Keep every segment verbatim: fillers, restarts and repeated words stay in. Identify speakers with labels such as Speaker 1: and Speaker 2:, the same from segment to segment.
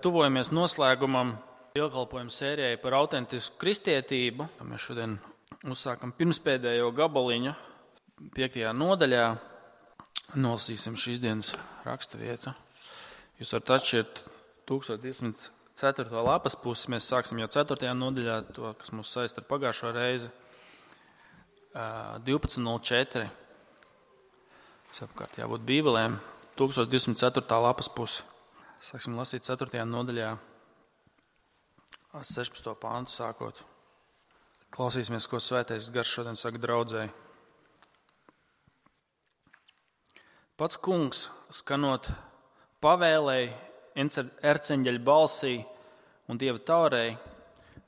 Speaker 1: Tuvojamies noslēgumam dievkalpojumu sērijai par autentisku kristietību. Mēs šodien uzsākam pirmspēdējo gabaliņu piektajā nodaļā. Nolasīsim šīs dienas raksturvietu. Jūs varat atšķirt tūkstoš divsimt ceturto lapas pusi. Mēs sāksim jau ceturtajā nodaļā, to, kas mūs saista ar pagājušo reizi. divpadsmit nulle četri. Savukārt jābūt bībelēm. tūkstoš divsimt ceturtā lapas pusi. Sāksim lasīt ceturtajā nodaļā, sešpadsmito pāntu sākot. Klausīsimies, ko Svētais Gars šodien saka draudzēji. Pats kungs, skanot pavēlēji, erceņģeļa balsī un Dieva taurei,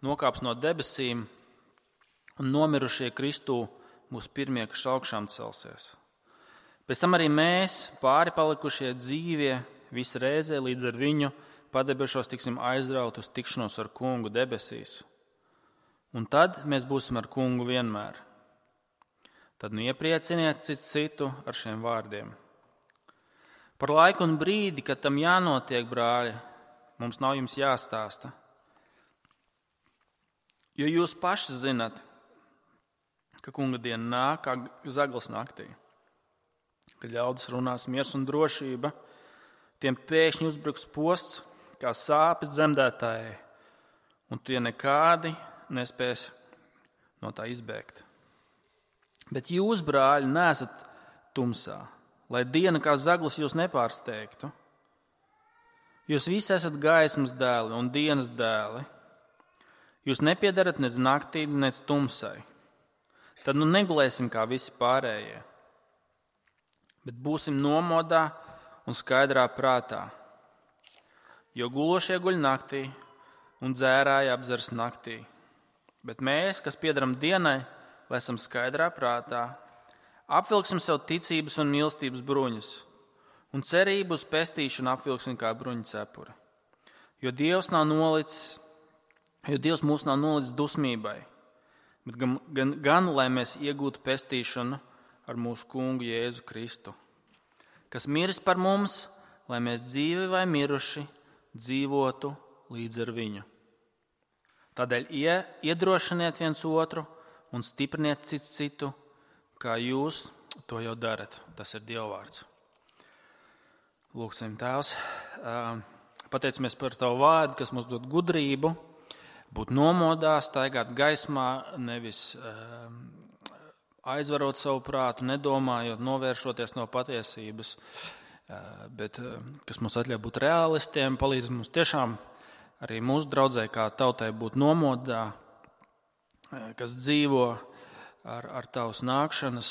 Speaker 1: nokāps no debesīm un nomirušie Kristū mūsu pirmie, kas augšām celsies. Pēc tam arī mēs, pāri palikušie dzīvie, visi reizē līdz ar viņu padebešos tiksim aizraut uz tikšanos ar kungu debesīs. Un tad mēs būsim ar kungu vienmēr. Tad nu ieprieciniet cits citu ar šiem vārdiem. Par laiku un brīdi, kad tam jānotiek, brāļi, mums nav jums jāstāsta. Jo jūs paši zinat, ka kunga diena nāk kā zaglas naktī. Kad ļaudis runās miers un drošība, tiem pēkšņi uzbruks posts, kā sāpes dzemdētājai, un tie nekādi nespēs no tā izbēgt. Bet jūs, brāļi, neesat tumsā, lai diena kā zaglis jūs nepārsteigtu. Jūs visi esat gaismas dēli un dienas dēli. Jūs nepiedarat nec naktī, nec tumsai. Tad nu negulēsim kā visi pārējie, bet būsim nomodā un skaidrā prātā, jo gulošie guļ naktī un dzērāji apdzers naktī. Bet mēs, kas piedaram dienai, lai esam skaidrā prātā, apvilksim sev ticības un mīlestības bruņus un cerību uz pestīšanu apvilksim kā bruņu cepuri. Jo Dievs nav nolicis, jo Dievs mūs nav nolicis dusmībai, bet gan, gan, gan lai mēs iegūtu pestīšanu ar mūsu kungu Jēzu Kristu, kas miris par mums, lai mēs dzīvi vai miruši dzīvotu līdz ar viņu. Tādēļ iedrošiniet viens otru un stipriniet cits citu, kā jūs to jau darat. Tas ir Dieva vārds. Lūksim, Tēvs, pateicamies par Tavu vārdu, kas mums dod gudrību, būt nomodā, staigāt gaismā, nevis aizvarot savu prātu, nedomājot, novēršoties no patiesības, bet kas mums atļauj būt realistiem, palīdz mums tiešām arī mūsu draudzē kā tautai būt nomodā, kas dzīvo ar, ar Tavas nākšanas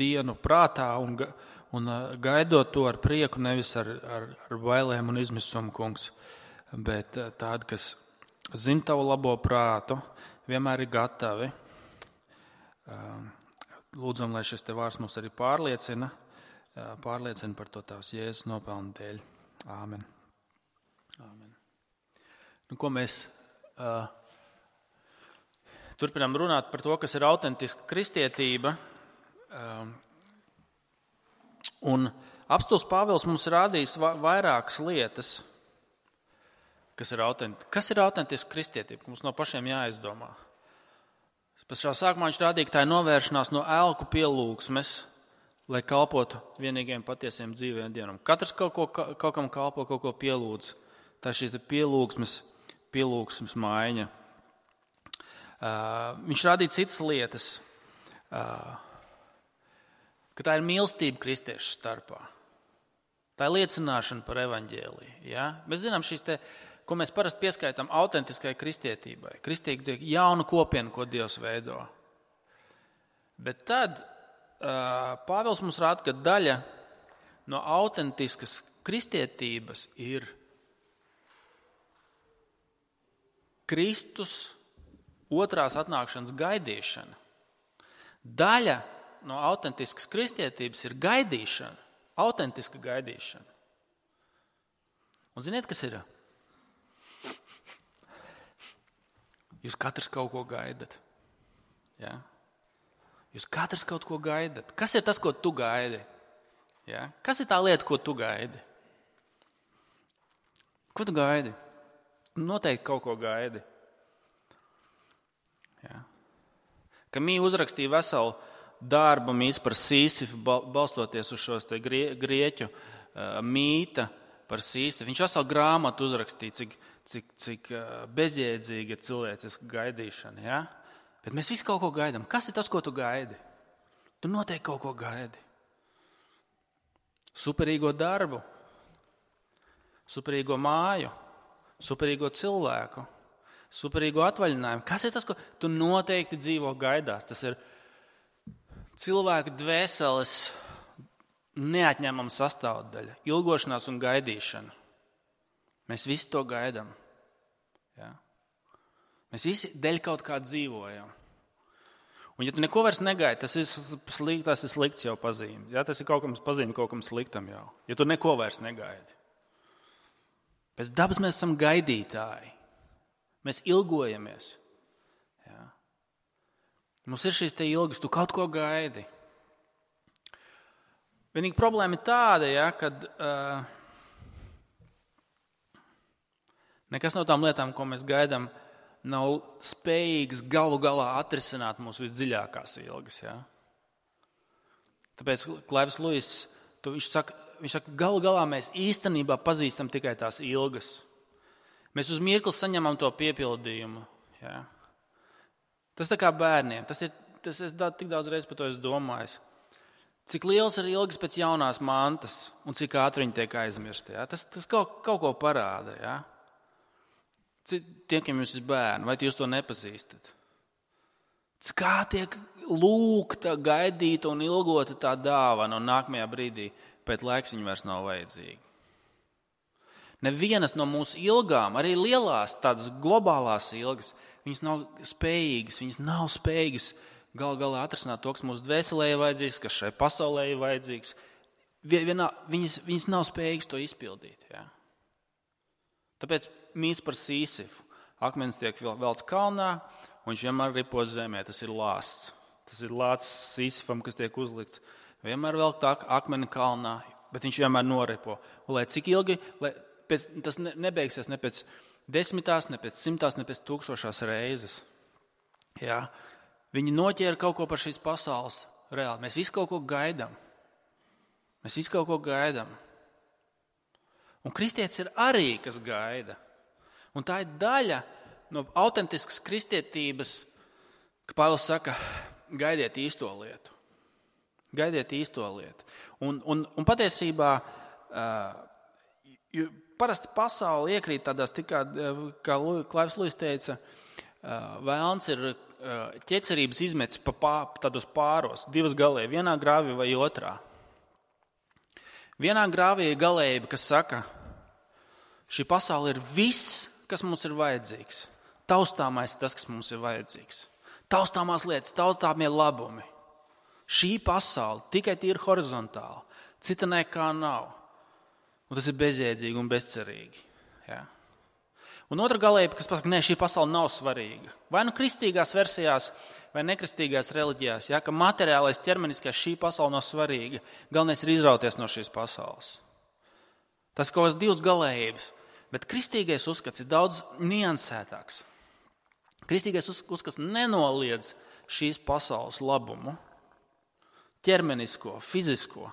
Speaker 1: dienu prātā un, un gaidot to ar prieku, nevis ar, ar, ar bailēm un izmisumu, kungs, bet tādi, kas zina Tavu labo prātu, vienmēr ir gatavi. Lūdzam, lai šis te vārds mums arī pārliecina, pārliecina par to Tavs Jēzus nopelnu dēļ. Āmen. Āmen. Nu, ko mēs uh, turpinām runāt par to, kas ir autentiska kristietība. Uh, un apostuls Pāvils mums rādījis va- vairākas lietas, kas ir autentiska. Kas ir autentiska kristietība? Mums no pašiem jāizdomā. Pašā sākumā viņš rādīja, ka tā ir novēršanās no elku pielūgsmes, lai kalpotu vienīgajiem patiesiem dzīviem Dievam. Katrs kaut, ko, kaut kam kalpo, kaut ko pielūdz. Tā ir šī pielūgsmes, pielūgsmes maiņa. Uh, viņš rādīja citas lietas, uh, ka tā ir mīlestība kristiešu starpā. Tā ir liecināšana par evaņģēliju. Ja? Mēs zinām šīs te, ko mēs parasti pieskaitām autentiskai kristietībai. Kristīgi ir jauna kopiena, ko Dievs veido. Bet tad uh, Pāvils mums rāda, ka daļa no autentiskas kristietības ir Kristus otrās atnākšanas gaidīšana. Daļa no autentiskas kristietības ir gaidīšana, autentiska gaidīšana. Un ziniet, kas ir? Jūs katrs kaut ko gaidat. Ja? Jūs katrs kaut ko gaidat. Kas ir tas, ko tu gaidi? Ja? Kas ir tā lieta, ko tu gaidi? Ko tu gaidi? Noteikti kaut ko gaidi. Jā. Kamī uzrakstīja veselu darbu mīts par Sīsifu, balstoties uz šos te grie, grieķu uh, mīta par Sīsifu. Viņš veselu grāmatu uzrakstīja, cik, cik, cik uh, bezjēdzīga ir cilvēciska gaidīšana. Ja? Bet mēs visi kaut ko gaidām. Kas ir tas, ko tu gaidi? Tu noteikti kaut ko gaidi. Superīgo darbu, superīgo māju, superīgo cilvēku, superīgo atvaļinājumu. Kas ir tas, ko tu noteikti dzīvo gaidās? Tas ir cilvēka dvēseles neatņemama sastāvdaļa, ilgošanās un gaidīšana. Mēs visi to gaidām. Ja? Mēs visi dēļ kaut kā dzīvojam. Un ja tu neko vairs negaidi, tas ir slikts, tas ir slikts jau pazīme. Ja? Tas ir kaut kam pazīme, kaut kam sliktam jau. Ja tu neko vairs negaidi. Pēc dabas mēs esam gaidītāji. Mēs ilgojamies. Ja? Mums ir šīs te ilgas, tu kaut ko gaidi. Vienīgi problēma ir tāda, ja, kad uh, nekas no tām lietām, ko mēs gaidām, nav spējīgs galu galā atrisināt mūsu visdziļākās ilgas. Ja? Tāpēc Klaivs Luis, viņš saka, viņš saka, galu galā mēs īstenībā pazīstam tikai tās ilgas. Mēs uz mirkli saņemam to piepildījumu. Ja? Tas tā kā bērniem. Tas ir, tas es tik daudz reizes par to esmu domājis. Cik liels ir ilgas pēc jaunās mantas un cik ātri viņi tiek aizmirsti. Ja? Tas, tas kaut, kaut ko parāda. Ja? Tiem, kam jums ir bērni, vai jūs to nepazīstat? Kā tiek lūgta, gaidīta un ilgota tā dāvana, un nākamajā brīdī pēc laiks viņa vairs nav vajadzīga. Nevienas no mūsu ilgām, arī lielās tādas globālās ilgas, viņas nav spējīgas, viņas nav spējīgas gal galā atrisināt to, kas mūsu dvēselē ir vajadzīgs, kas šai pasaulē ir vajadzīgs. Vienā, viņas, viņas nav spējīgas to izpildīt. Ja? Tāpēc mīts par Sīsifu. Akmens tiek velts kalnā, un viņš vienmēr ripo zemē. Tas ir lāsts. Tas ir lāsts Sīsifam, kas tiek uzlikts. Vienmēr velk tā akmeni kalnā, bet viņš vienmēr noripo. Un lai cik ilgi, lai pēc, tas ne, nebeigsies ne pēc desmitās, ne pēc simtās, ne pēc tūkstošās reizes. Jā. Viņi noķēra kaut ko par šīs pasaules reāli. Mēs visi kaut ko gaidām. Mēs visi kaut ko gaidām. Un kristietis ir arī, kas gaida. Un tā ir daļa no autentiskas kristietības, ka Pāvils saka, gaidiet īsto lietu. Gaidiet īsto lietu. Un, un, un patiesībā uh, parasti pasauli iekrīt tādās, tikā, kā Klaivs Luis teica, uh, vēlns ir uh, ķecerības izmetis pa pā, tādos pāros, divas galēji, vienā grāvī vai otrā. Vienā grāvī ir galējība, kas saka, šī pasaule ir viss, kas mums ir vajadzīgs. Taustāmais tas, kas mums ir vajadzīgs. Taustāmās lietas, taustāmie labumi. Šī pasaule tikai tīri horizontāli, cita nekā nav. Un tas ir bezjēdzīgi un bezcerīgi. Ja? Un otra galējība, kas pasaka, ne, šī pasaule nav svarīga. Vai nu kristīgās versijās, vai nekristīgās reliģijās, ja, ka materiālais ķermeniskais šī pasaule nav svarīga. Galvenais ir izrauties no šīs pasaules. Tas kaut kāds divas galējības. Bet kristīgais uzskats ir daudz niansētāks. Kristīgais uzskats nenoliedz šīs pasaules labumu, ķermenisko, fizisko.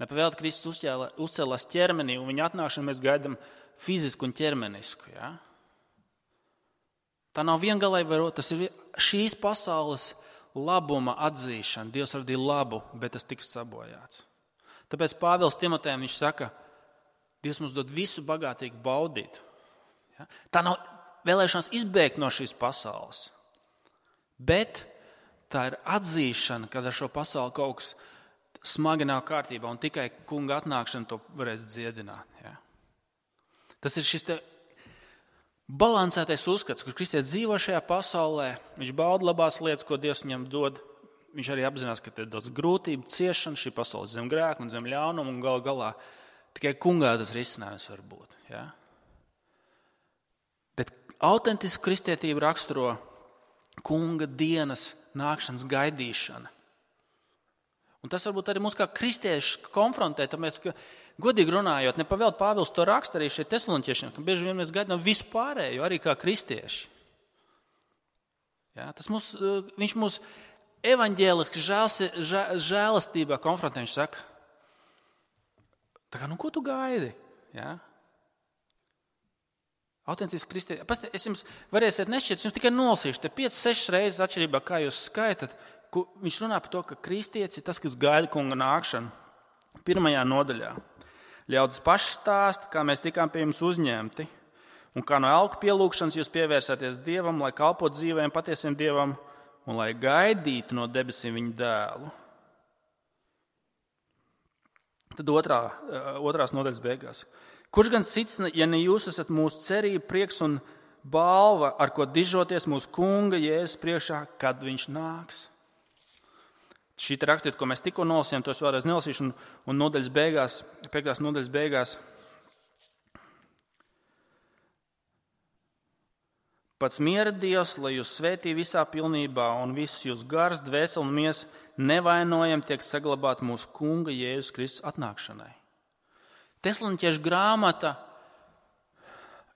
Speaker 1: Nepavēlti Kristus uzcēlās ķermenī, un viņa atnākšanu mēs gaidām fizisku un ķermenisku. Ja? Tā nav viengalēji varot, tas ir šīs pasaules labuma atzīšana. Dievs radīja labu, bet tas tika sabojāts. Tāpēc Pāvils Timotejam viņš saka, Dievs mums dod visu bagātīgi baudīt. Ja? Tā nav vēlēšanās izbēgt no šīs pasaules, bet tā ir atzīšana, kad ar šo pasauli kaut kas smagi nav kārtībā, un tikai kunga atnākšana to varēs dziedināt. Ja? Tas ir šis te balansētais uzskats, kur kristietis dzīvo šajā pasaulē, viņš bauda labās lietas, ko Dievs viņam dod. Viņš arī apzinās, ka te ir daudz grūtību, ciešana, šī pasaule zem grēka un zem ļaunuma, un gal galā tikai kungā tas risinājums var būt. Ja? Bet autentisku kristietību raksturo kunga dienas nākšanas gaidīšana. Un tas varbūt arī mūs kā kristiešus konfrontē, tāpēc, ka godīgi runājot, ne pavēlt Pāvils to raksta arī šeit tesaloniķiešiem, ka bieži vien mēs gaidām visu pārējo, arī kā kristieši. Ja, tas mūs, viņš mūs evaņģēliski žēlastībā konfrontē, viņš saka, tā kā, nu ko tu gaidi? Ja? Autentiski kristieši. Pastāv, es jums varēsiet nešķiet, es jums tikai nolasīšu, te piecas, sešas reizes atšķirībā, kā jūs skaitat, viņš runā par to, ka kristietis ir tas, kas gaida kunga nākšanu. Pirmajā nodaļā. Ļaudis paši stāsta, kā mēs tikām pie jums uzņemti, un kā no elku pielūgšanas jūs pievērsāties Dievam, lai kalpot dzīvēm patiesiem Dievam, un lai gaidītu no debesīm viņa dēlu. Tad otrā, otrās nodaļas beigās. Kurš gan cits, ja ne jūs esat mūsu cerība, prieks un balva, ar ko dižoties mūsu kunga Jēzus priekšā, kad viņš nāks? Šī te rakstīt, ko mēs tikko nolasījām, tos vēlreiz nelasīšu, un, un nodaļas beigās, piektās nodaļas beigās. Pats miera Dievs, lai jūs svētī visā pilnībā un visus jūs gars, dvēseli un miesa nevainojam tiek saglabāt mūsu kunga Jēzus Kristus atnākšanai. Tesaloniķiešu grāmata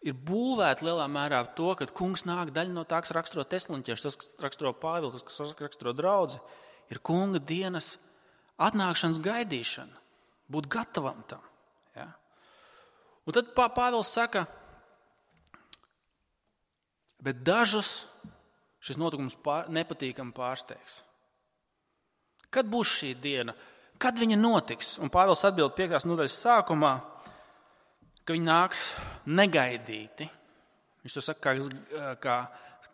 Speaker 1: ir būvēta lielā mērā to, ka kungs nāk, daļa no tā, kas raksturo tesaloniķiešu, tas, kas raksturo Pāvilu, tas, kas raksturo draudzi, ir kunga dienas atnākšanas gaidīšana, būt gatavam tam. Ja? Un tad Pāvils saka, bet dažus šis notikums pār, nepatīkami pārsteigs. Kad būs šī diena? Kad viņa notiks? Un Pāvils atbild piektās nodaļas sākumā, ka viņa nāks negaidīti. Viņš to saka kā, kā,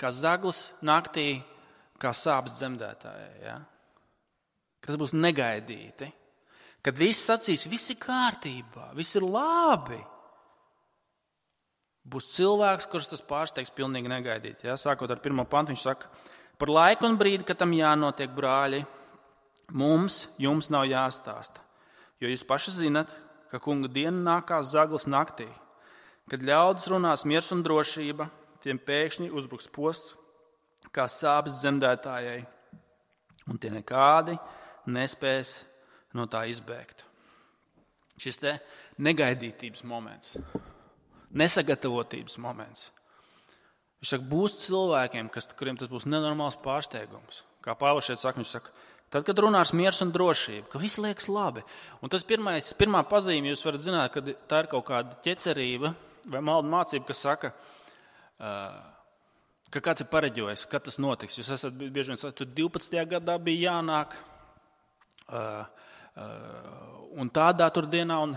Speaker 1: kā zaglis naktī, kā sāpes dzemdētājai. Ja? Ka tas būs negaidīti. Kad viss sacīs, viss ir kārtībā, viss ir labi. Būs cilvēks, kurš tas pārsteigs pilnīgi negaidīti. Ja? Sākot ar pirmo pantu, viņš saka, par laiku un brīdi, kad tam jānotiek, brāļi, mums, jums nav jāstāsta, jo jūs paši zinat, ka kunga diena nākās zaglis naktī, kad ļaudis runās miers un drošība, tiem pēkšņi uzbruks posts, kā sāpes dzemdētājai, un tie nekādi nespēs no tā izbēgt. Šis te negaidītības moments, nesagatavotības moments. Viņš saka, būs cilvēkiem, kas, kuriem tas būs nenormāls pārsteigums. Kā Pāvils šeit saka, viņš saka, tad, kad runās miers un drošība, ka viss liekas labi. Un tas pirmais, pirmā pazīme, jūs varat zināt, ka tā ir kaut kāda ķecerība vai maldu mācība, kas saka, ka kāds ir pareģojis, kad tas notiks. Jūs esat bieži vien sakāt, tur divpadsmitajā gadā bija jānāk un tādā tur dienā. Un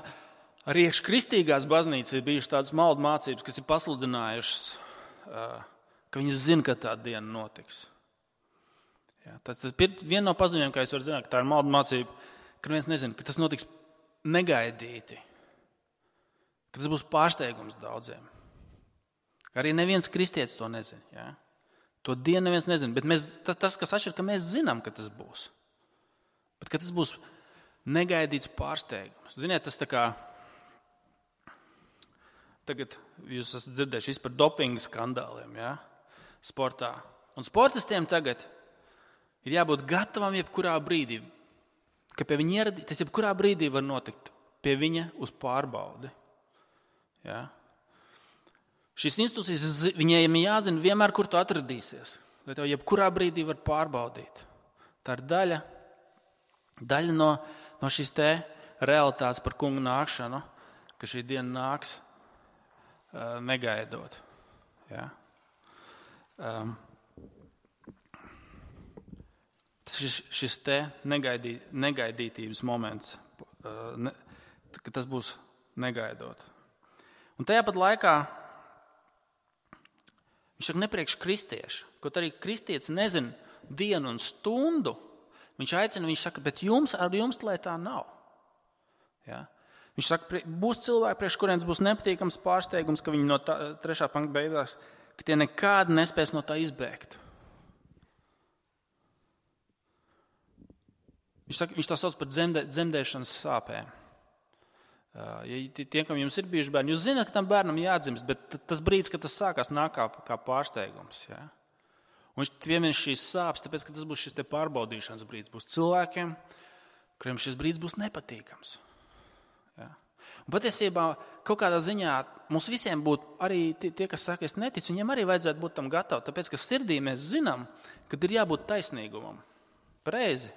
Speaker 1: arī kristīgās baznīcas ir bijušas tādas maldu mācības, kas ir pasludinājušas, ka viņas zina, ka tā diena notiks. Jā, tas ir viena no pazīmēm, kā jūs varat zināt, ka tā ir maldu mācība, ka viens nezina, ka tas notiks negaidīti, ka tas būs pārsteigums daudziem. Arī neviens kristietis to nezina. Jā. To dienu neviens nezina, bet mēs, tas, tas, kas atšķir, ka mēs zinām, ka tas būs. Bet ka tas būs negaidīts pārsteigums. Ziniet, tas tā kā, tagad jūs esat dzirdējuši par dopinga skandāliem, jā, sportā. Un sportistiem tagad ir jābūt gatavam jebkurā brīdī, ka pie viņa ieradī, tas jebkurā brīdī var notikt pie viņa uz pārbaudi. Ja? Šīs institūcijas, viņiem jāzina vienmēr, kur tu atradīsies, lai tev jebkurā brīdī var pārbaudīt. Tā ir daļa, daļa no, no šīs te realitātes par kunga nākšanu, ka šī diena nāks uh, negaidot. Ja? Um, Šis, šis te negaidī, negaidītības moments, ne, ka tas būs negaidot. Un tajā pat laikā viņš saka nepriekš kristiešu, kaut arī kristietis nezina dienu un stundu, viņš aicina, viņš saka, bet jums, ar jums, lai tā nav. Ja? Viņš saka, būs cilvēki, priekš kuriem būs nepatīkams pārsteigums, ka viņi no tā, trešā panta beigās, ka tie nekādi nespēs no tā izbēgt. Viņš, saka, viņš tā sauc par dzemdē, dzemdēšanas sāpēm. Ja tie, kam jums ir bijuši bērni, jūs zināt, ka tam bērnam jādzimst, bet tas brīdis, kad tas sākās, nāk kā, kā pārsteigums. Ja? Un viņš piemin šīs sāpes, tāpēc, ka tas būs šis te pārbaudīšanas brīdis. Būs cilvēkiem, kuriem šis brīdis būs nepatīkams. Ja? Un patiesībā kaut kādā ziņā mums visiem būtu, arī tie, tie kas saka, es neticu, viņiem arī vajadzētu būt tam gatavi, tāpēc, ka sirdī mēs zinām, kad ir jābūt taisnīgumam. Pareizi.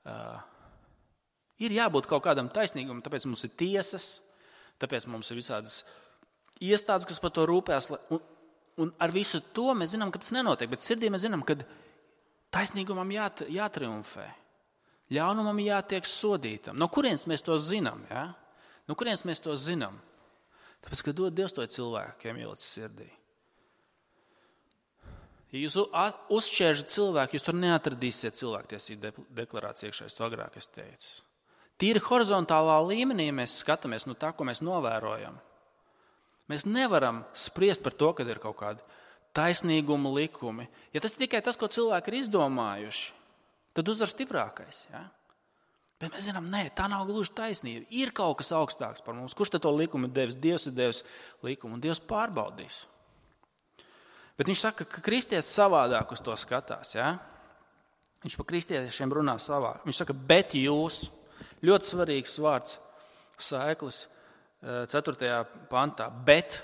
Speaker 1: Uh, ir jābūt kaut kādam taisnīgumam, tāpēc mums ir tiesas, tāpēc mums ir visādas iestādes, kas par to rūpēs. Un, un ar visu to mēs zinām, ka tas nenotiek, bet sirdī mēs zinām, ka taisnīgumam jāt, jātriumfē. Ļaunumam jātiek sodītam. No kurienes mēs to zinām? Ja? No kurienes mēs to zinām? Tāpēc, ka dod Dievs to cilvēkiem ielicis sirdī. Ja jūs uzšķēržat cilvēku, jūs tur neatradīsiet cilvēktiesību deklarāciju iekšā, es to agrāk es teicu. Tīri horizontālā līmenī mēs skatāmies no tā, ko mēs novērojam. Mēs nevaram spriest par to, kad ir kaut kādi taisnīguma likumi. Ja tas ir tikai tas, ko cilvēki ir izdomājuši, tad uzvar stiprākais. Ja? Bet mēs zinām, nē, tā nav gluži taisnība. Ir kaut kas augstāks par mums. Kurš tad to likumu ir devis? Dievs ir devis likumu, un Dievs pārbaudīs. Bet viņš saka, ka kristietis savādāk uz to skatās. Ja? Viņš par kristiešiem runā savādāk. Viņš saka, bet jūs, ļoti svarīgs vārds, saiklis ceturtajā pantā, bet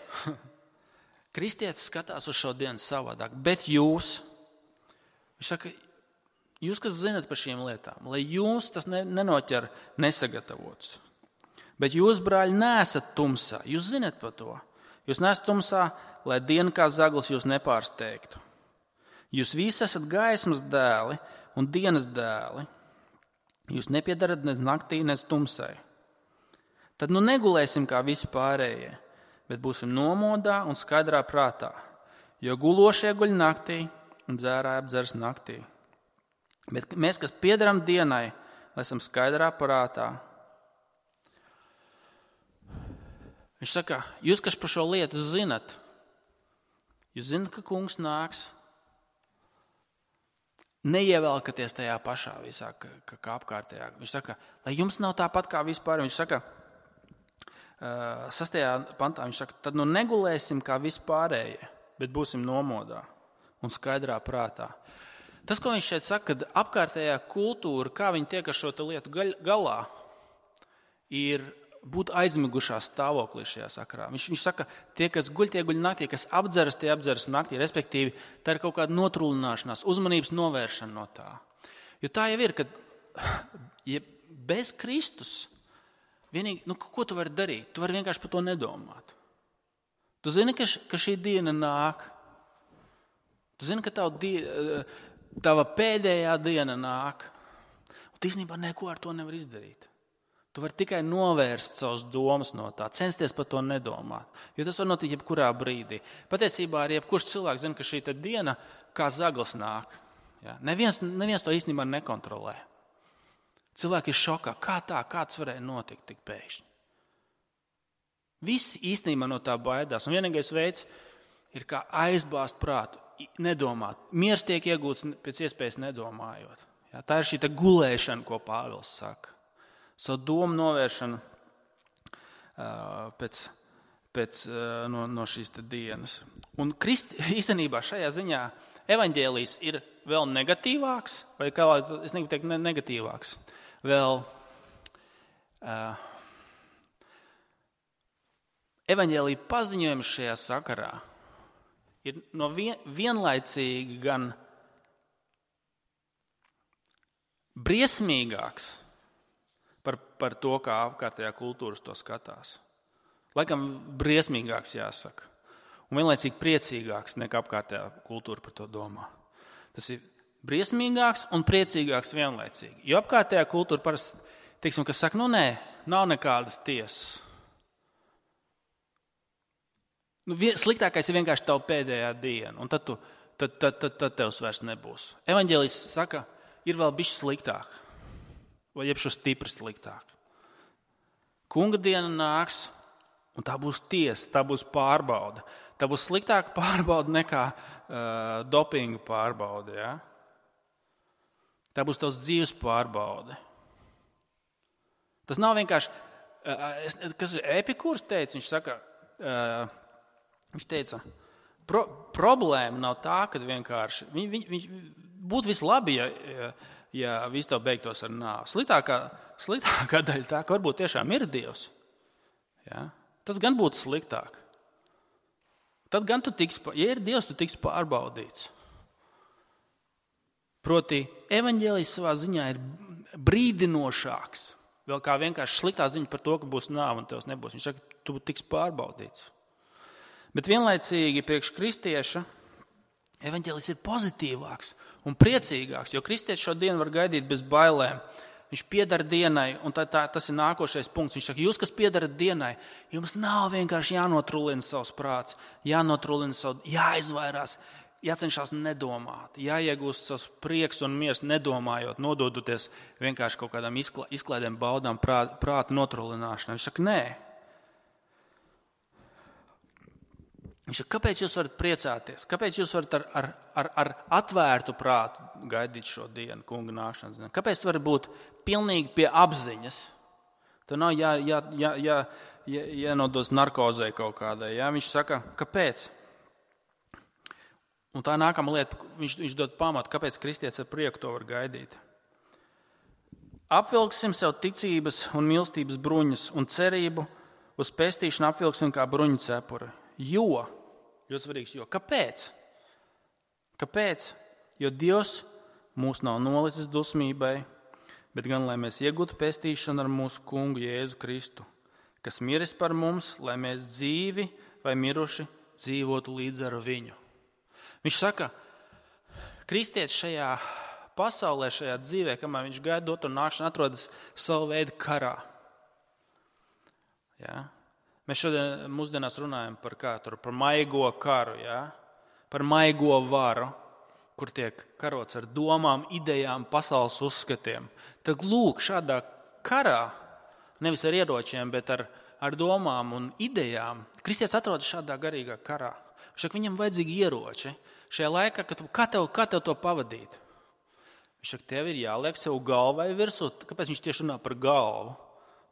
Speaker 1: kristietis skatās uz šo dienu savādāk, bet jūs, viņš saka, jūs, kas zinat par šīm lietām, lai jūs tas nenoķer nesagatavots. Bet jūs, brāļi, neesat tumsā. Jūs zinat par to. Jūs neesat tumsā, lai diena kā zaglis jūs nepārsteigtu. Jūs visi esat gaismas dēli un dienas dēli. Jūs nepiedarat nec naktī, nec tumsai. Tad nu negulēsim kā visi pārējie, bet būsim nomodā un skaidrā prātā. Jo gulošie guļ naktī un dzērāji apdzers naktī. Bet mēs, kas piedaram dienai, lai esam skaidrā prātā. Viņš saka, jūs, kas par šo lietu zinat, jūs zinat, ka kungs nāks, neievelkaties tajā pašā visā, kā, kā apkārtējā. Viņš saka, lai jums nav tāpat kā vispār. Viņš saka, sastajā pantā, viņš saka, tad nu negulēsim kā vispārējie, bet būsim nomodā un skaidrā prātā. Tas, ko viņš šeit saka, kad apkārtējā kultūra, kā viņi tiek ar šo lietu galā, ir būt aizmigušā stāvoklī šajā sakarā. Viņš, viņš saka, tie, kas guļ, tie guļ naktī, kas apdzeras, tie apdzeras naktī, respektīvi, tā ir kaut kāda notrūlināšanās, uzmanības novēršana no tā. Jo tā jau ir, ka ja bez Kristus, vienīgi, nu, ko tu vari darīt? Tu vari vienkārši par to nedomāt. Tu zini, ka, š, ka šī diena nāk. Tu zini, ka tavu diena... Tava pēdējā diena nāk, un tu īstenībā neko ar to nevar izdarīt. Tu vari tikai novērst savus domas no tā, censties par to nedomāt, jo tas var notikt jebkurā brīdī. Patiesībā arī jebkurš cilvēks zina, ka šī diena kā zaglis nāk. Ja? Neviens, neviens to īstenībā nekontrolē. Cilvēki ir šokā. Kā tā? Kā tas varēja notikt tik pēkšņi? Visi īstenībā no tā baidās, un vienīgais veids ir kā aizbāzt prātu. Nedomāt. Miers tiek iegūts pēc iespējas nedomājot. Ja, tā ir šī gulēšana, ko Pāvils saka. Savu domu novēršana uh, pēc, pēc, uh, no, no šīs dienas. Un Krist, īstenībā šajā ziņā evaņģēlijs ir vēl negatīvāks, vai kā es negribu teikt negatīvāks, vēl uh, evaņģēlija paziņojums šajā sakarā ir no vien, vienlaicīgi gan briesmīgāks par, par to, kā apkārtējā kultūras to skatās. Laikam briesmīgāks jāsaka. Un vienlaicīgi priecīgāks nekā apkārtējā kultūra par to domā. Tas ir briesmīgāks un priecīgāks vienlaicīgi. Jo apkārtējā kultūra parasti, teiksim, kas saka, nu nē, nav nekādas tiesas. Nu, sliktākais ir vienkārši tava pēdējā diena, un tad, tu, tad, tad, tad, tad tevs vairs nebūs. Evaņģēlijs saka, ir vēl bišķi sliktāk, vai jebšu stipri sliktāk. Kunga diena nāks, un tā būs tiesa, tā būs pārbauda. Tā būs sliktāka pārbauda nekā uh, dopinga pārbauda. Ja? Tā būs tavs dzīves pārbaude. Tas nav vienkārši, uh, kas Epikūrs teica, viņš saka, uh, Viņš teica, pro, problēma nav tā, ka vienkārši viņ, viņ, viņ, būtu vislabi, ja, ja, ja viss tev beigtos ar nāvi. Sliktākā, sliktākā daļa tā, ka varbūt tiešām ir Dievs. Ja? Tas gan būtu sliktāk. Tad gan tu tiks, ja ir Dievs, tu tiks pārbaudīts. Proti, evaņģēlijs savā ziņā ir brīdinošāks. Vēl kā vienkārši sliktā ziņa par to, ka būs nāve un tevs nebūs. Viņš saka, tu tiks pārbaudīts. Bet vienlaicīgi priekš kristieša evaņģēlijs ir pozitīvāks un priecīgāks, jo kristietis šo dienu var gaidīt bez bailēm. Viņš piedara dienai, un tā, tā, tas ir nākošais punkts. Viņš saka, jūs, kas piedarat dienai, jums nav vienkārši jānotrulina savs prāts, jānotrulina savu, jāizvairās, jācenšas nedomāt, jāiegūst savs prieks un miers nedomājot, nododoties vienkārši kaut kādām izkla, izklaidēm, baudām, prāt, prāta notrulināšanai. Viņš saka, nē. Viņš saka, kāpēc jūs varat priecāties? Kāpēc jūs varat ar, ar, ar, ar atvērtu prātu gaidīt šo dienu, kunga nākšanas dienu? Kāpēc tu vari būt pilnīgi pie apziņas? Tu nav jā, jā, jā, jā, jā, jānodos narkozē kaut kādai. Jā? Viņš saka, kāpēc? Un tā nākamā lieta, viņš, viņš dod pamatu, kāpēc kristietis ar prieku to var gaidīt. Apvilksim sev ticības un mīlestības bruņas un cerību uz pestīšanu apvilksim kā bruņu cepuri. Jo, ļoti svarīgs, jo. Kāpēc? Kāpēc? Jo Dievs mūs nav nolicis dusmībai, bet gan, lai mēs iegūtu pestīšanu ar mūsu kungu Jēzu Kristu, kas miris par mums, lai mēs dzīvi vai miruši dzīvotu līdz ar viņu. Viņš saka, kristietis šajā pasaulē, šajā dzīvē, kamēr viņš gaida otru nākšanu, atrodas savu veidu karā. Jā. Mēs šodien mūsdienās runājam par kā tur, par maigo karu, ja? Par maigo varu, kur tiek karots ar domām, idejām, pasaules uzskatiem. Tad lūk, šādā karā, nevis ar ieročiem, bet ar, ar domām un idejām, kristietis atrodas šādā garīgā karā. Šak viņam vajadzīgi ieroči. Šajā laikā, kad tu, kā, tev, kā tev to pavadīt? Viņš saka, tev ir jāliek sev galvai virsū. Kāpēc viņš tieši runā par galvu?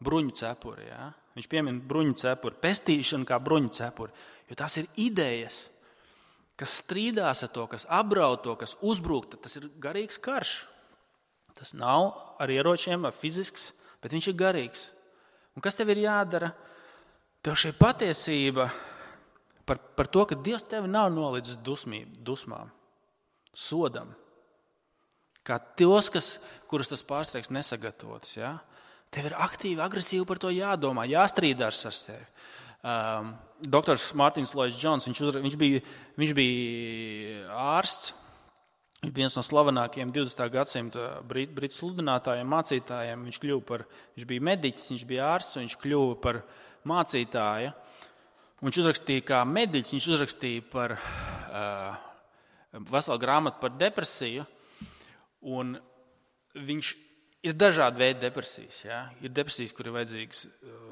Speaker 1: Bruņu cepuri, ja? Viņš piemin bruņu cepuri, pestīšanu kā bruņu cepuri, jo tās ir idejas, kas strīdās ar to, kas apdraud to, kas uzbrūk, tas ir garīgs karš. Tas nav ar ieročiem, ar fizisks, bet viņš ir garīgs. Un kas tev ir jādara? Tev šī patiesība par, par to, ka Dievs tevi nav nolicis dusmību, dusmām, sodam, kā tos, kas, kurus tas pārsteigs nesagatavotas, ja? Tev ir aktīvi, agresīvi par to jādomā, jāstrīdās ar sevi. Um, doktors Mārtiņš Lloyds Džons, viņš, uzra, viņš, bija, viņš bija ārsts, viņš bija viens no slavenākajiem divdesmitā gadsimta brit, britu sludinātājiem, mācītājiem. Viņš kļuva par, viņš bija mediķis, viņš bija ārsts, un viņš kļuva par mācītāju. Un viņš uzrakstīja kā mediķis, viņš uzrakstīja par uh, veselu grāmatu par depresiju, un viņš ir dažādi veidi depresijas. Ja? Ir depresijas, kur ir vajadzīgas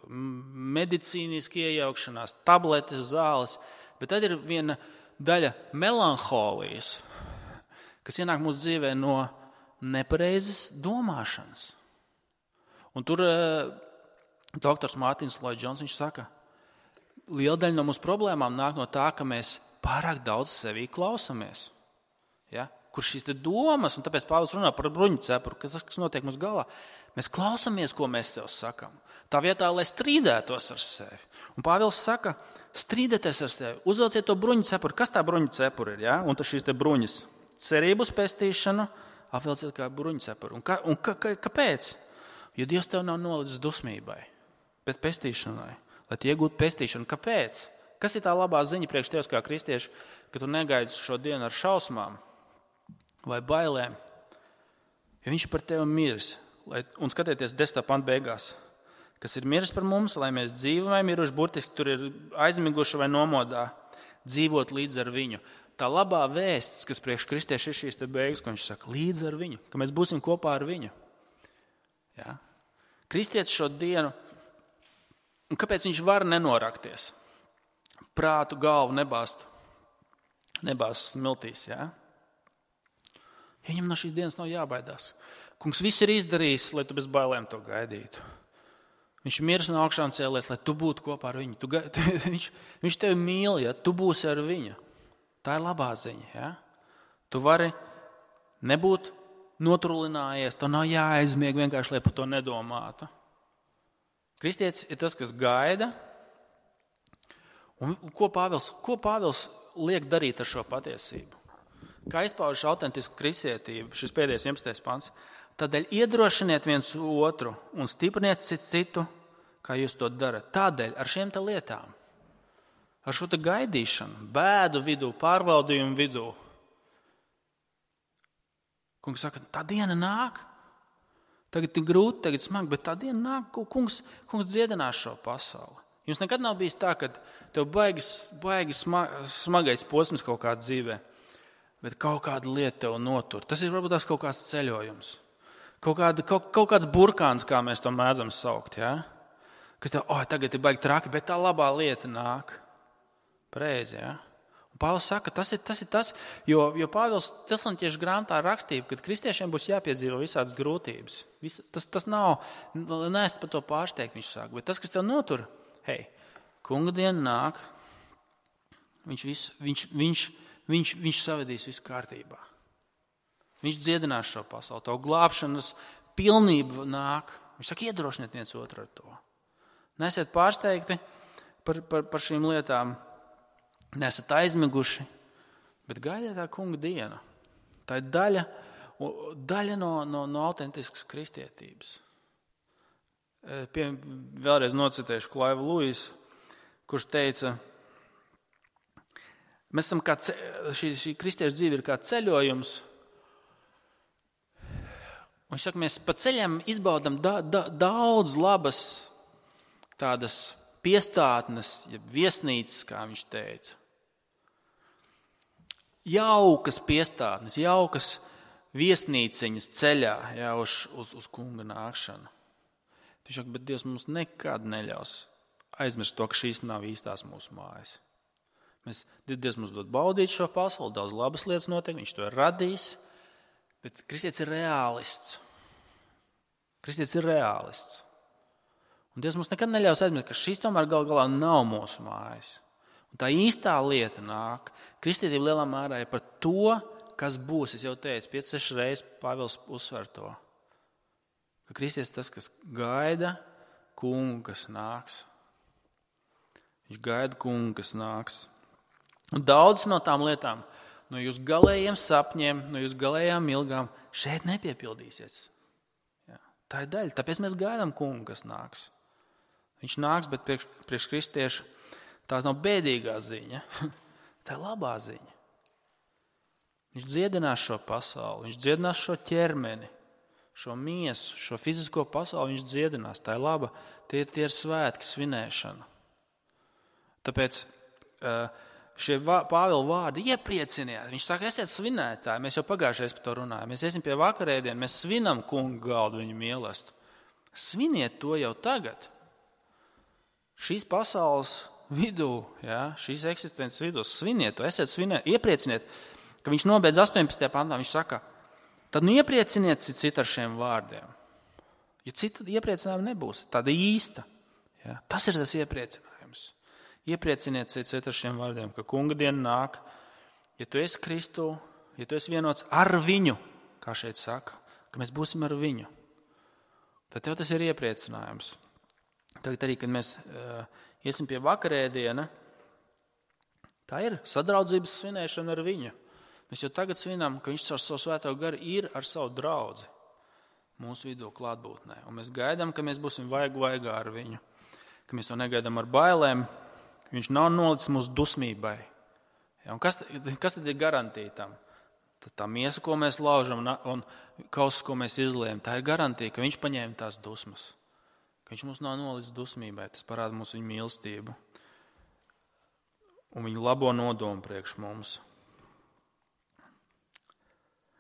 Speaker 1: medicīniski iejaukšanās, tabletes, zāles, bet tad ir viena daļa melanholijas, kas ienāk mūsu dzīvē no nepareizas domāšanas. Un tur uh, doktors Mārtiņš Lloyds Džons, viņš saka, liela daļa no mūsu problēmām nāk no tā, ka mēs pārāk daudz sevī klausamies. Ja? Kur šīs te domas, un tāpēc Pāvils runā par bruņu cepuru, kas, kas notiek mums galvā. Mēs klausamies, ko mēs sev sakam. Tā vietā, lai strīdētos ar sevi. Un Pāvils saka, strīdēties ar sevi, uzvelciet to bruņu cepuru. Kas tā bruņu cepura ir? Ja? Un tas šīs te bruņas. Cerību uz pestīšanu, apvelciet kā bruņu cepuru. Un, ka, un ka, ka, kāpēc? Jo Dievs tev nav nolicis dusmībai, bet pestīšanai. Lai tu iegūtu pestīšanu. Kāpēc? Kas ir tā labā ziņa priekš tevis kā kristieši, ka tu negaidi šo dienu ar šausmām vai bailēm, jo viņš par tevi miris. Lai, un skatieties desmitā panta beigās, kas ir miris par mums, lai mēs dzīvojam, miruši burtiski tur ir aizmiguši vai nomodā, dzīvot līdz ar viņu. Tā labā vēsts, kas priekš kristieši ir šīs te beigas, ko viņš saka, līdz ar viņu, ka mēs būsim kopā ar viņu. Ja? Kristietis šo dienu, un kāpēc viņš var nenorakties? Prātu, galvu nebāzt, nebāzt smiltīs, ja? Viņam no šīs dienas nav jābaidās. Kungs viss ir izdarījis, lai tu bez bailēm to gaidītu. Viņš ir miris no augšām cēlies, lai tu būtu kopā ar viņu. Tu, tu, viņš, viņš tevi mīl, ja tu būsi ar viņu. Tā ir labā ziņa. Ja? Tu vari nebūt notrulinājies, to nav jāaizmieg vienkārši, lai par to nedomātu. Kristietis ir tas, kas gaida, Un ko Pāvils, ko Pāvils liek darīt ar šo patiesību? Kā izpaužas autentiska kristietība, šis pēdējais vienpadsmitais pants. Tādēļ iedrošiniet viens otru un stipriniet citu, kā jūs to darat. Tādēļ ar šiem te lietām, ar šo te gaidīšanu, bēdu vidū, pārbaudījumu vidū. Kungs saka, tā diena nāk. Tagad ir grūti, tagad smagi, bet tā diena nāk, kungs, kungs dziedinās šo pasauli. Jums nekad nav bijis tā, ka tev baigas, baigas smagais posms kaut kādā dzīvē, bet kaut kāda lieta tev notur. Tas ir varbūt tās kaut kāds ceļojums. Kaut, kāda, kaut, kaut kāds burkāns, kā mēs to mēdzam saukt. Ja? Kas tev, oh, tagad ir baigi traki, bet tā labā lieta nāk. Pareizi, ja? Un Pāvils saka, tas ir tas, ir tas jo, jo Pāvils Tesaloniķiešu grāmatā rakstīja, ka kristiešiem būs jāpiedzīvo visādas grūtības. Vis, tas, tas nav, neesat par to pārsteigt, viņš saka, bet tas, kas tev notur, hei, kunga diena nāk, viņš, vis, viņš, viņš, viņš, viņš savedīs visu kārtībā. Viņš dziedinās šo pasauli, tavu glābšanas pilnību nāk. Viņš saka, iedrošiniet viens otru ar to. Nesiet pārsteigti par, par, par šīm lietām, nesat aizmiguši, bet gaidiet tā kunga dienu. Tā ir daļa, daļa no, no, no autentiskas kristietības. Pie, vēlreiz nocitēšu Klaivu Luisu, kurš teica, mēs esam kā ce, šī, šī kristiešu dzīve ir kā ceļojums. Un viņš saka, mēs pa ceļam izbaudam da, da, daudz labas tādas piestātnes, ja viesnīcas, kā viņš teica. Jaukas piestātnes, jaukas viesnīciņas ceļā, jā, uz, uz, uz kunga nākšanu. Viņš saka, bet Dievs mums nekad neļaus aizmirst to, ka šīs nav īstās mūsu mājas. Mēs, Dievs mums dod baudīt šo pasauli, daudz labas lietas notiek, viņš to ir radījis, bet kristietis ir reālists. Kristietis ir reālists. Un Dievs mums nekad neļaus aizmirst, ka šīs tomēr gal galā nav mūsu mājas. Un tā īstā lieta nāk. Kristietība lielā mērā ir par to, kas būs. Es jau teicu, pieci, seši reizes Pāvils uzsver to. Ka kristietis tas, kas gaida kungu, kas nāks. Viņš gaida kungu, kas nāks. Un daudz no tām lietām, no jūsu galējiem sapņiem, no jūsu galējām ilgām, šeit nepiepildīsies. Jā, tā ir daļa. Tāpēc mēs gaidām kungu, kas nāks. Viņš nāks, bet priekš, priekš kristiešu tās nav bēdīgā ziņa. Tā ir labā ziņa. Viņš dziedinās šo pasauli, viņš dziedinās šo ķermeni, šo miesu, šo fizisko pasauli viņš dziedinās. Tā ir laba, tie, tie ir svētki, svinēšana. Tāpēc šie Pāvila vārdi ieprieciniet. Viņš saka, esiet svinētāji. Mēs jau pagājušajā par to runājām. Mēs iesim pie vakarēdienu, mēs svinam kungu galdu viņu mīlestību. Sviniet to jau tagad. Šīs pasaules vidū, jā, šīs eksistences vidū, sviniet to, esiet svinēt, ieprieciniet, ka viņš nobeidz astoņpadsmitajā pantā, viņš saka, tad nu ieprieciniet citu ar šiem vārdiem. Ja cita iepriecinājuma nebūs, tāda īsta. Jā, tas ir tas iepriecinājums. Ieprieciniet citu ar šiem vārdiem, ka kunga diena nāk, ja tu esi Kristu, ja tu esi vienots ar viņu, kā šeit saka, ka mēs būsim ar viņu, tad tev tas ir iepriecinājums. Tagad arī, kad mēs uh, iesim pie vakarēdiena, tā ir sadraudzības svinēšana ar viņu. Mēs jau tagad svinām, ka viņš ar savu svēto garu ir ar savu draudzi mūsu vidū klātbūtnē. Un mēs gaidām, ka mēs būsim vaigu vaigā ar viņu, ka mēs to negaidām ar bailēm, ka viņš nav nolicis mūsu dusmībai. Ja, un kas, kas tad ir garantija tam? Tad tā miesa, ko mēs laužam un kausus, ko mēs izliejam, tā ir garantija, ka viņš paņēma tās dusmas. Ka viņš mums nav nolicis dusmībai, tas parāda mums viņa mīlestību un viņa labo nodomu priekš mums.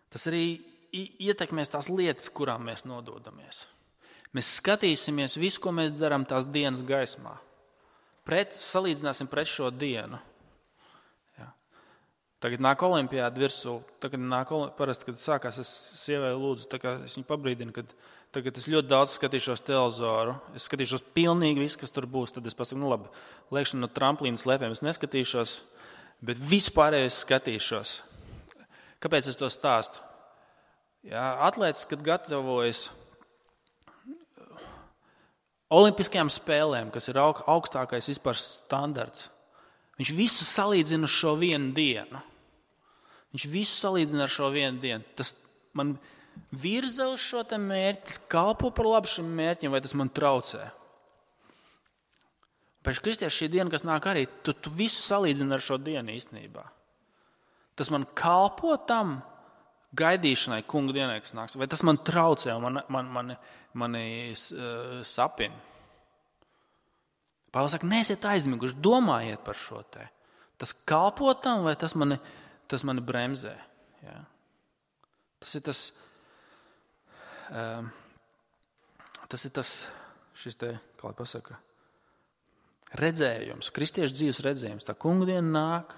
Speaker 1: Tas arī ietekmēs tās lietas, kurām mēs nododamies. Mēs skatīsimies visu, ko mēs darām tās dienas gaismā. Pret, salīdzināsim pret šo dienu. Ja. Tagad nāk olimpiāda virsū, tagad nāk parasti, kad sākās, es sievai lūdzu, tā kā es viņu pabrīdinu, kad tagad es ļoti daudz skatīšos televizoru, es skatīšos pilnīgi visu, kas tur būs, tad es pasaku, nu labi, lēkšana no tramplīnas lēpēm es neskatīšos, bet visu pārējo es skatīšos. Kāpēc es to stāstu? Jā, atlētis, kad gatavojas olimpiskajām spēlēm, kas ir augstākais vispār standarts, Viņš visu salīdzina ar šo vienu dienu. Viņš visu salīdzina ar šo vienu dienu. Tas man virza uz šo te mērķi, tas kalpo par labu šim mērķim, vai tas man traucē. Pēc kristiešu šī diena, kas nāk arī, tu, tu visu salīdzini ar šo dienu īstenībā. Tas man kalpo tam gaidīšanai, kunga dienai, kas nāks, vai tas man traucē un man, man, man, mani uh, sapina. Pāvils saka, neesiet aizmiguši, domājiet par šo te. Tas kalpo tam, vai tas mani, tas mani bremzē. Ja? Tas ir tas, um, tas ir tas, šis te, kā lai pasaka, redzējums, kristiešu dzīves redzējums. Tā kunga diena nāk,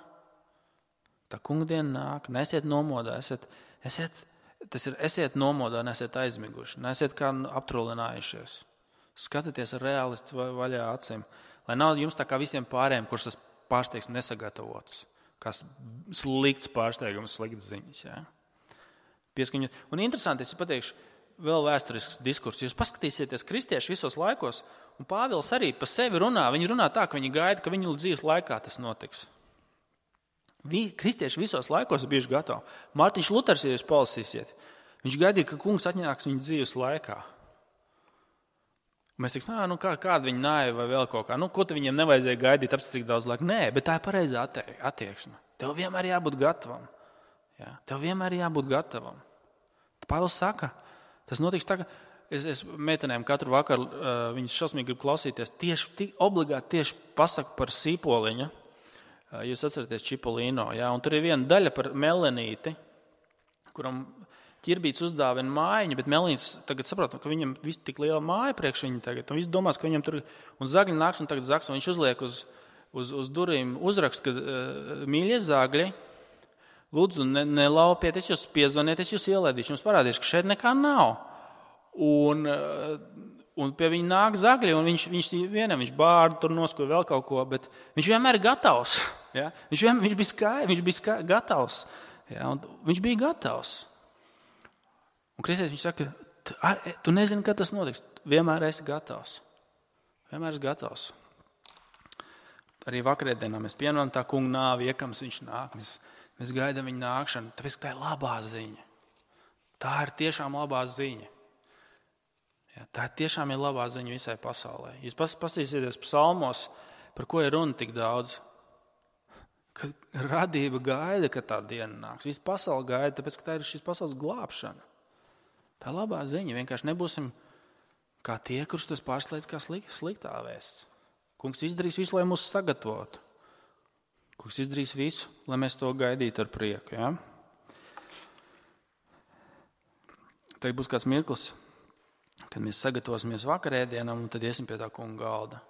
Speaker 1: tā kunga diena nāk, nesiet nomodā, esiet, esiet, tas ir, esiet nomodā, nesiet aizmiguši, nesiet kā aptrulinājušies. Skatieties ar reālistu vaļā acīm, lai nav jums tā kā visiem pārējiem, kurš tas pārsteigs nesagatavots, kā slikts pārsteigums, slikts ziņas. Ja? Pieskaņot. Un interesanti, es pateikšu, vēl vēsturisks diskurs. Jūs paskatīsieties kristieši visos laikos, un Pāvils arī pa sevi runā. Viņi runā tā, ka viņi gaida, ka viņu dzīves laikā tas notiks. Vi, kristieši visos laikos ir bijuši gatavi. Mārtiņš Luters, ja jūs palasīsiet, viņš gaidīja, ka kungs atņāks viņu dzīves laikā. Mēs teiksim, nu, kā, kāda viņa nāja vai vēl kaut kā. Nu, ko te viņiem nevajadzēja gaidīt, apstāties cik daudz laika? Nē, bet tā ir pareizā attieksme. Tev vienmēr jābūt gatavam. Jā, tev vienmēr jābūt gatavam. Pāvils saka, tas notiks tā, ka es, es meitenēm katru vakaru, uh, viņas šausmīgi grib klausīties, tieši, tī, obligāti tieši pasaku par sīpoliņu. Uh, jūs atceraties Čipolino, jā, un tur ir viena daļa par melenīti, kuram ķirbīts uzdāvina mājiņu, bet Melīns tagad saprot, ka viņam viss tik liela māja priekš viņa tagad, un viss domās, ka viņam tur, un zagļi nāks un tagad zaks, un viņš uzliek uz, uz, uz durīm uzrakst, ka uh, mīļie zagļi, lūdzu, ne, nelaupieties, jūs piezvanieties, jūs ielēdīšu, jums parādīšu, ka šeit nekā nav. Un, uh, un pie viņa nāk zagļi, un viņš, viņš vienam, viņš bārdu, tur noskoja vēl kaut ko, bet viņš vienmēr ir gatavs. Ja? Viņš, vienmēr, viņš bija, skai, viņš bija skai, gatavs. Ja? Un viņš bija gatavs. Un kristietis viņš saka, tu, ar, tu nezini, kad tas notiks. Vienmēr esi gatavs. Vienmēr esi gatavs. Arī vakarēdienā mēs pieņemam tā kunga nāvi, iekams viņš nāk. Mēs, mēs gaidām viņa nākšanu, tāpēc tā ir labā ziņa. Tā ir tiešām labā ziņa. Ja, tā tiešām ir labā ziņa visai pasaulē. Jūs paskatīsieties psalmos, par ko ir runa tik daudz. Ka radība gaida, ka tā diena nāks. Visa pasaule gaida, tāpēc, ka tā ir šīs pasaules glābšana. Tā labā ziņa. Vienkārši nebūsim kā tie, kurus tas pārslēdz kā sliktā vēsts. Kungs izdarīs visu, lai mūs sagatavotu. Kungs izdarīs visu, lai mēs to gaidītu ar prieku. Ja? Tagad būs kāds mirklis, kad mēs sagatavosimies vakarēdienam, un tad iesim pie tā kunga galda.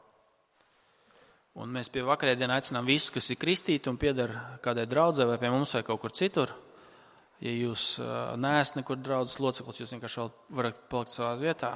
Speaker 1: Un mēs pie vakarēdiena aicinām visus, kas ir kristīti un pieder kādai draudzē vai pie mums vai kaut kur citur. Ja jūs neesat nekur draudzes loceklis, jūs vienkārši varat palikt savā vietā.